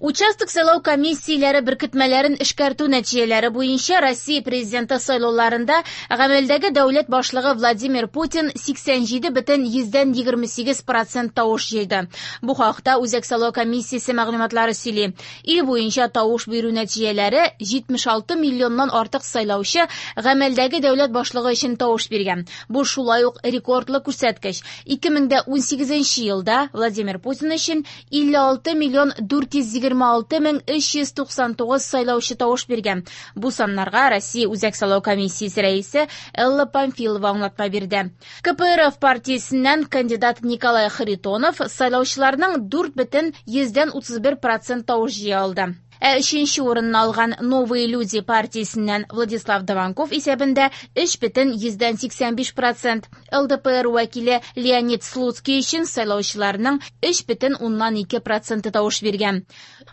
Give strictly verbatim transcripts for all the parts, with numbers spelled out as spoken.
Участок сайлау комиссияләре беркетмәләрен эшкәртү нәтиҗәләре буенча Россия президенты сайлауларында гамәлдәге дәүләт башлыгы Владимир Путин сиксән җиде бөтен йөздән егерме сигез процент тавыш җыйды. Бу хакта Үзәк сайлау комиссиясе мәгълүматлары сөйли. Ил буенча тавыш бирү нәтиҗәләре җитмеш алты миллионнан артык сайлаучы гамәлдәге дәүләт башлыгы өчен тавыш биргән. Бу шулай ук рекордлы күрсәткеч. Ике мең дә унсигезенче елда Владимир Путин өчен илле алты миллион дүрт йөз егерме алты мең өч йөз туксан тугыз сайлаучы тавыш биргән. Бу саннарга Россия Үзәк сайлау комиссиясе рәисе Элла Памфилова аңлатма бирде. К П Р Ф партиясеннән кандидат Николай Харитонов сайлаучыларның дүрт бөтен йөздән утыз бер процент тавыш җыя алды. Ә өченче урынны алган Новые люди партиясеннән Владислав Даванков исәбендә өч бөтен йөздән сиксән биш процент. Л Д П Р вәкиле Леонид Слуцкий өчен сайлаучыларның өч бөтен уннан ике проценты тавыш биргән.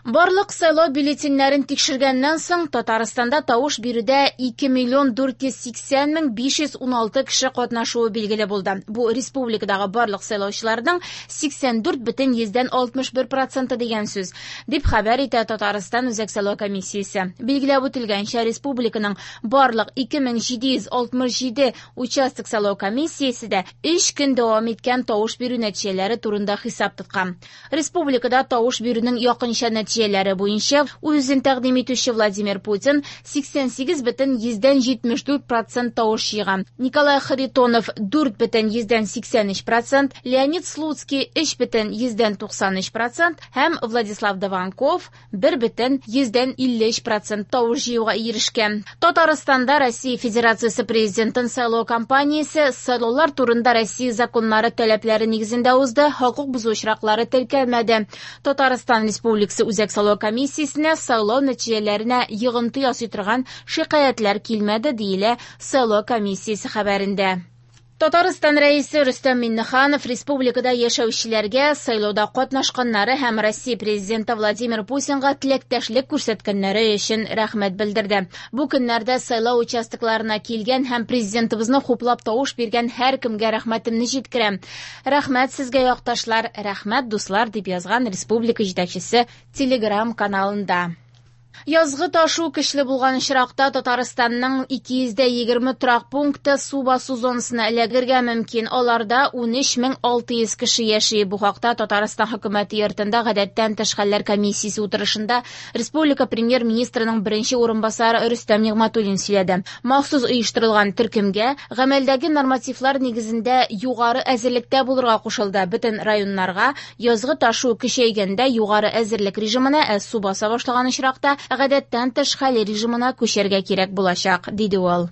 Барлык сайлау бюллетеньнәрен тикшергәннән соң Татарстанда тавыш бирүдә ике миллион дүрт йөз сиксән мең биш йөз уналты кеше катнашуы билгеле булды. Бу республикадагы барлык сайлаучыларның сиксән дүрт бөтен йөздән алтмыш бер проценты дигән сүз, дип хәбәр итә Татарстан Үзәк сайлау комиссиясе. Билгеләп үтелгәнчә, республиканың барлык ике мең җиде йөз алтмыш җиде участок сайлау комиссиясе дә өч көн дәвам иткән тавыш бирү нәтиҗәләре турында хисап тоткан. Республикада тавыш бирүнең якынча нәтиҗәләре буенча үзен тәкъдим итүче Владимир Путин сиксән сигез бөтен йөздән җитмеш дүрт процент тавыш җыйган. Николай Харитонов дүрт бөтен йөздән сиксән өч процент, Леонид Слуцкий өч бөтен йөздән туксан өч процент һәм Владислав Даванков бер бөтен йөздән илле өч процент тавыш җыюга ирешкән. Татарстанда Россия Федерациясе президентын сайлау кампаниясе сайлаулар турында Россия законнары таләпләре нигезендә узды, хокук бозу очраклары теркәлмәде. Татарстан Республикасы Үзәк сайлау комиссиясенә сайлау нәтиҗәләренә йогынты ясый торган шикаятьләр килмәде, диелә сайлау комиссиясе хәбәрендә. Татарстан Рәисе Рөстәм Миңнеханов республикада яшәүчеләргә сайлауда катнашканнары һәм Россия президенты Владимир Путинга теләктәшлек күрсәткәннәре өчен рәхмәт белдерде. Бу көннәрдә сайлау участокларына килгән һәм президентыбызны хуплап тавыш биргән һәркемгә рәхмәтемне җиткерәм. Рәхмәт сезгә, якташлар, рәхмәт, дуслар, дип язган республика җитәкчесе Телеграм каналында. Язгы ташу көчле булган очракта Татарстанның ике йөз дә егерме торак пункты су басу зонасына эләгергә мөмкин. Аларда унөч мең алты йөз кеше яши. Бу хакта Татарстан хөкүмәте йортында гадәттән тыш хәлләр комиссиясе утырышында республика премьер-министрының беренче урынбасары Рөстәм Нигъмәтуллин сөйләде. Махсус оештырылган төркемгә гамәлдәге нормативлар нигезендә югары әзерлектә булырга кушылды. Бөтен районнарга язгы ташу көчәйгәндә югары әзерлек режимына, ә су баса башлаган очракта гадәттән тыш хәл режимына күчәргә кирәк булачак, диде ул.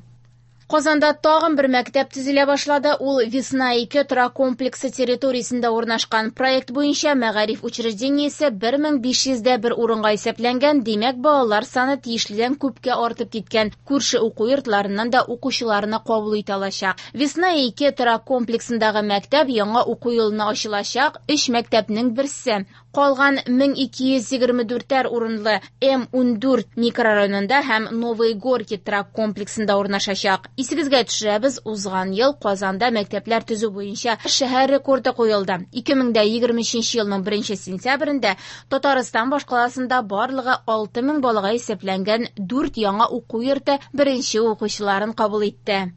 Казанда тагын бер мәктәп төзелә башлады. Ул Весна ике торак комплексы территориясендә урнашкан. Проект буенча мәгариф учреждениесе бер мең биш йөз дә бер урынга исәпләнгән, димәк, балалар саны тиешледән күпкә артып киткән. Күрше уку йортларыннан да укучыларны кабул итә алачак. Весна ике торак комплексындагы мәктәп яңа уку елына ачылачак өч мәктәпнең берсе. Калган мең ике йөз егерме дүртәр урынлы М ундүрт микрорайонында һәм Новые Горки торак комплексында урнашачак. Исегезгә төшерәбез, узган ел Казанда мәктәпләр төзү буенча шәһәр рекорды куелды. Ике мең дә егерме өченче елның беренче сентябрендә Татарстан башкаласында барлыгы алты мең балага исәпләнгән дүрт яңа уку йорты беренче укучыларын кабул итте.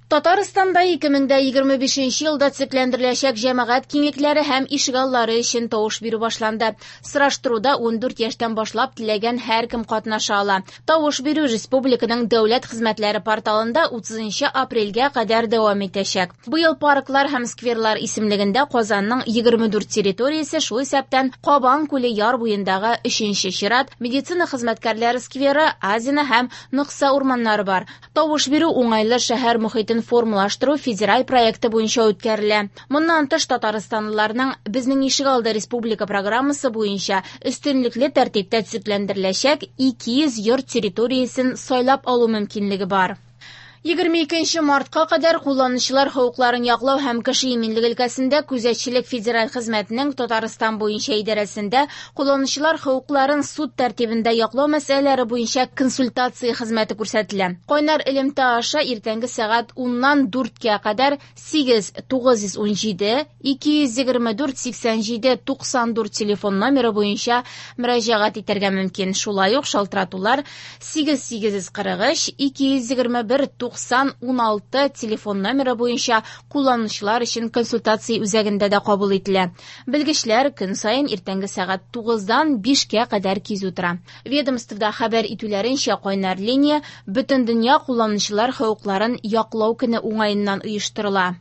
Татарстанда ике мең дә егерме бишенче елда төзекләндереләчәк җәмәгать киңлекләре һәм ишегаллары өчен тавыш бирү башланды. Сораштыруда ундүрт яшьтән башлап теләгән һәркем катнаша ала. Тавыш бирү республиканың дәүләт хезмәтләре порталында утызынчы апрельгә кадәр дәвам итәчәк. Быел парклар һәм скверлар исемлегендә Казанның егерме дүрт территориясе, шул исәптән Кабан күле яр буендагы өченче чират, медицина хезмәткәрләре скверы, Азина һәм Нокса урманнары бар. Тавыш бирү уңайлы шәһәр мохитен формалаштыру федераль проекты буенча үткәрелә. Моннан тыш татарстанлыларның Безнең ишегалды республика программасы буенча өстенлекле тәртиптә төзекләндереләчәк ике йөз йорт территориясен сайлап алу мөмкинлеге бар. Егерме икенче мартка кадәр кулланучылар хокукларын яклау һәм кеше иминлеге өлкәсендә күзәтчелек федераль хезмәтенең Татарстан буенча идарәсендә кулланучылар хокукларын суд тәртибендә яклау мәсьәләләре буенча консультация хезмәте күрсәтелә. Кайнар элемтә аша иртәнге сәгать уннан дүрткә кадәр сигез тугыз йөз ун җиде ике йөз егерме дүрт сиксән җиде туксан дүрт телефон номеры буенча мөрәҗәгать итәргә мөмкин. Шулай ук шалтыратулар сигез сигез йөз кырык өч ике йөз егерме бер туксан ун алты телефон номеры буенча кулланучылар өчен консультация үзәгендә дә кабул ителә. Белгечләр көн саен иртәнге сәгать тугыздан бишкә кадәр кизү тора. Ведомствода хәбәр итүләренчә, кайнар линия бөтен дөнья кулланучылар хокукларын яклау көне уңаеннан оештырыла.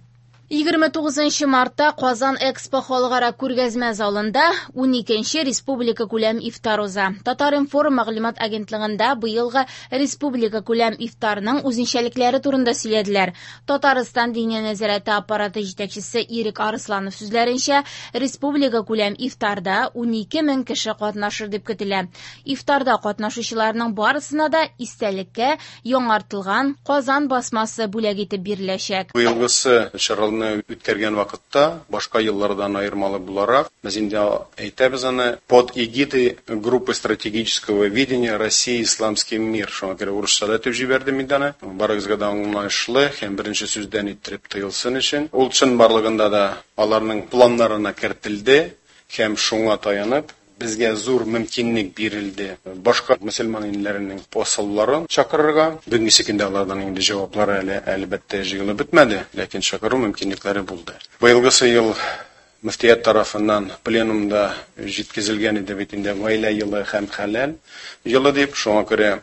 Егерме тугызынчы мартта Казан Экспо халыкара күргәзмә залында ун икенче республика күләм ифтар уза. Татар-информ мәгълүмат агентлыгында быелгы республика күләм ифтарның үзенчәлекләре турында сөйләделәр. Татарстан Диния нәзарәте аппараты җитәкчесе Ирек Арысланов сүзләренчә, республика күләм ифтарда ун ике мең кеше катнашыр дип көтелә. Ифтарда катнашучыларның барысына да истәлеккә яңартылган Казан басмасы бүләк итеп биреләчәк. Быелгысы чараларны үткәргән вакытта башка еллардан аермалы буларак, без инде әйтәбез аны под эгидой группы стратегического видения России исламский мир. Шуңа күрә урысча да әйтеп җибәрдем инде аны. Барыгызга да аңлаешлы һәм беренче сүздән иттереп тоелсын өчен. Ул чынбарлыгында да аларның планнарына кертелде һәм шуңа таянып безгә зур мөмкинлек бирелде башка мөселман илләренең посолларын чакырырга. Бүгенге көндә алардан инде җаваплары әле әлбәттә җыелып бетмәде, ләкин чакыру мөмкинлекләре булды. Быелгысы ел мөфтият тарафыннан пленумда җиткезелгән иде бит инде гаилә елы һәм хәләл елы дип, шуңа күрә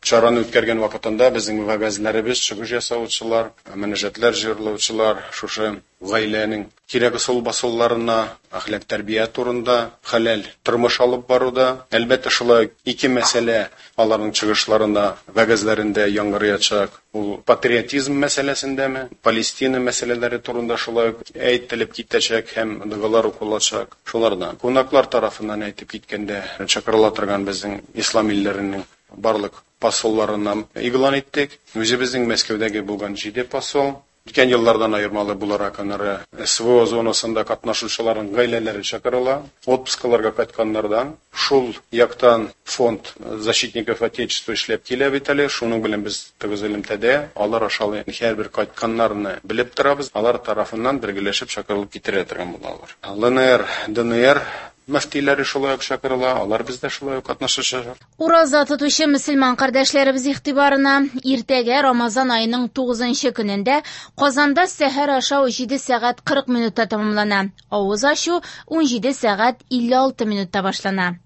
чараны үткәргән вакытында безнең вәгазьләребез, чыгыш ясаучылар, мөнәҗәтләр җырлаучылар шушы гаиләнең кирәк ысул басуларына, әхлак тәрбия турында, хәләл тормыш алып баруда, әлбәттә шулай ике мәсьәлә аларның чыгышларында, вәгазьләрендә яңгыраячак. Ул патриотизм мәсьәләсендәме, Палестина мәсьәләләре турында шулай ук әйтелеп китәчәк һәм догалар укылачак. Шулардан кунаклар тарафыннан әйтеп киткәндә чакырыла торган безнең ислам илләренең барлык посолларына игълан иттек. Үзебезнең Мәскәүдәге булган җиде посол. Үткән еллардан аермалы буларак аннары СВО зонасында катнашучыларның гаиләләре чакырыла. Отпускаларга кайтканнардан шул яктан фонд защитников Отечества эшләп килә бит әле. Шуның белән без тыгыз элемтәдә, алар аша һәрбер кайтканнарны белеп торабыз. Алар тарафыннан бергәләшеп чакырылып китерә торган булалар. ЛНР, ДНР мөфтиләре шулай ук чакырыла, алар бездә шулай ук катнашачак. Ураза тотучы мөселман кардәшләребез игътибарына иртәгә Рамазан аеның тугызынчы көнендә Казанда сәхәр ашау җиде сәгать кырык минутта тәмамлана. Авыз ачу ун җиде сәгать илле алты минутта башлана.